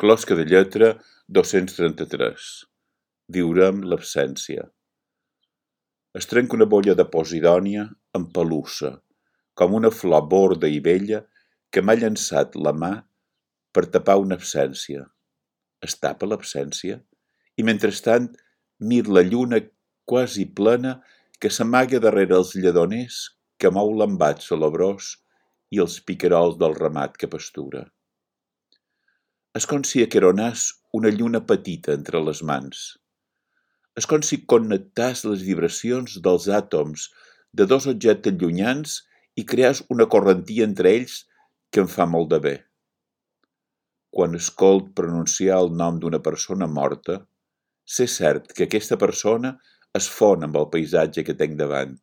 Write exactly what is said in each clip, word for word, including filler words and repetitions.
Closca de lletra dos-cents trenta-tres. Viurem l'absència. Es trenca una bolla de posidònia empelussa, com una flor borda i vella que m'ha llançat la mà per tapar una absència. Es tapa l'absència i mentrestant mir la lluna quasi plena que s'amaga darrere els lledoners que mou l'embat salabrós i els picarols del ramat que pastura. És com si aqueronàs una lluna petita entre les mans. És com si connectàs les vibracions dels àtoms de dos objectes llunyans i creàs una correntia entre ells que em fa molt de bé. Quan escolt pronunciar el nom d'una persona morta, sé cert que aquesta persona es fon amb el paisatge que tinc davant.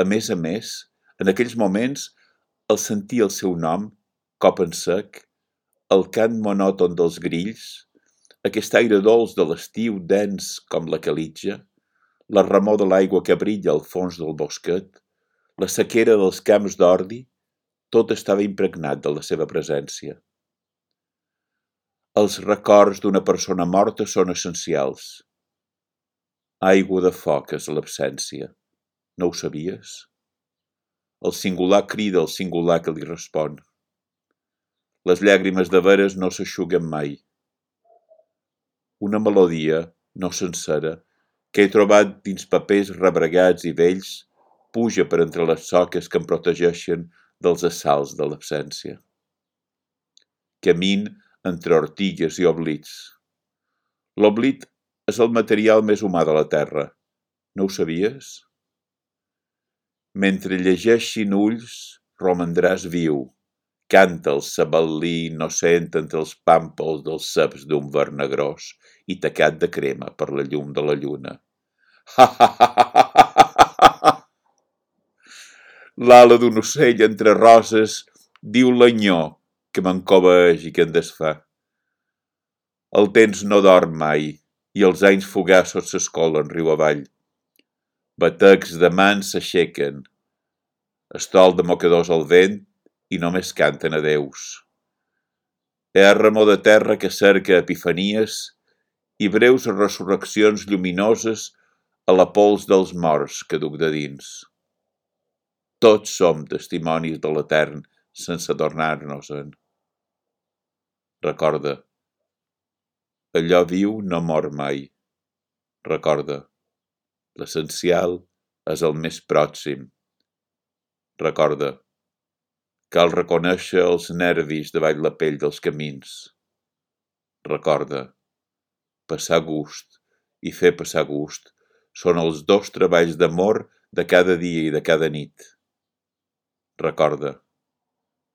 A més a més, en aquells moments, al sentir el seu nom, cop en sec, el cant monòton dels grills, aquest aire dolç de l'estiu dens com la calitja, la remor de l'aigua que brilla al fons del bosquet, la sequera dels camps d'ordi, tot estava impregnat de la seva presència. Els records d'una persona morta són essencials. Aigua de foc és l'absència. No ho sabies? El singular crida al singular que li respon. Les llàgrimes de veres no s'eixuguen mai. Una melodia, no sencera, que he trobat dins papers rebregats i vells, puja per entre les soques que em protegeixen dels assalts de l'absència. Camin entre ortigues i oblits. L'oblit és el material més humà de la terra. No ho sabies? Mentre llegeixin ulls, romandràs viu. Canta el sabal·lí innocent entre els pàmpols dels ceps d'un verd negrós i tacat de crema per la llum de la lluna. Ha, ha, ha, ha, ha, ha. L'ala d'un ocell entre roses diu l'anyó que m'encobeeix i que em desfà. El temps no dorm mai i els anys fugassos s'escolen riu avall. Batecs de mans s'aixequen, estol de mocadors al vent i només canten adeus. Hi ha remor de terra que cerca epifanies i breus resurreccions lluminoses a la pols dels morts que duc de dins. Tots som testimonis de l'etern sense adornar-nos-en. Recorda, allò viu no mor mai. Recorda, l'essencial és el més pròxim. Recorda, cal reconèixer els nervis davall la pell dels camins. Recorda, passar gust i fer passar gust són els dos treballs d'amor de cada dia i de cada nit. Recorda,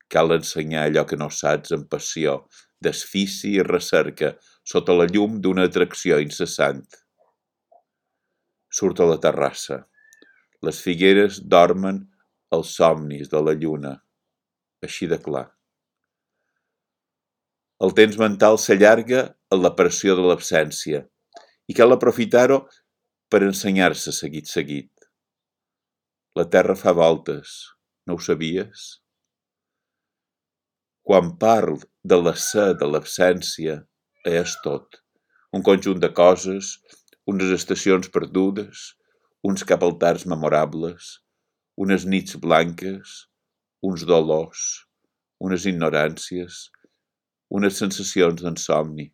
cal ensenyar allò que no saps amb passió, desfici i recerca sota la llum d'una atracció incessant. Surt a la terrassa. Les figueres dormen els somnis de la lluna. Així de clar. El temps mental s'allarga en la pressió de l'absència i cal aprofitar-ho per ensenyar-se seguit seguit. La terra fa voltes, no ho sabies? Quan parl de la ser de l'absència, és tot. Un conjunt de coses, unes estacions perdudes, uns capaltars memorables, unes nits blanques, uns dolors, unes ignoràncies, unes sensacions d'insomni.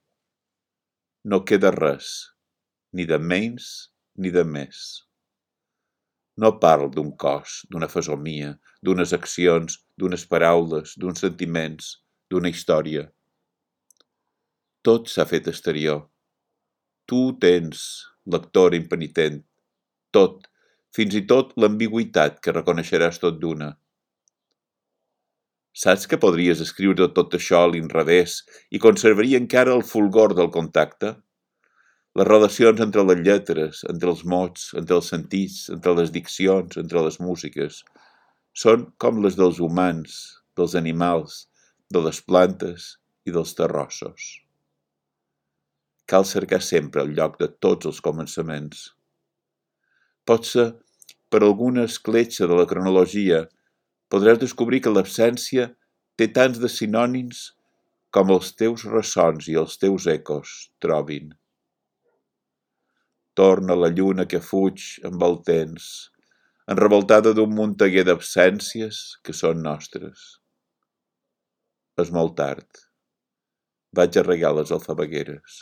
No queda res, ni de menys ni de més. No parlo d'un cos, d'una fesomia, d'unes accions, d'unes paraules, d'uns sentiments, d'una història. Tot s'ha fet exterior. Tu tens, lector impenitent, tot, fins i tot l'ambigüitat que reconeixeràs tot d'una. Saps que podries escriure tot això a l'inrevés i conservaria encara el fulgor del contacte? Les relacions entre les lletres, entre els mots, entre els sentits, entre les diccions, entre les músiques, són com les dels humans, dels animals, de les plantes i dels terrossos. Cal cercar sempre el lloc de tots els començaments. Potser, per alguna escletxa de la cronologia, podràs descobrir que l'absència té tants de sinònims com els teus ressons i els teus ecos trobin. Torna la lluna que fuig amb el temps, enrevoltada d'un muntaguer d'absències que són nostres. És molt tard. Vaig a regar les alfabegueres.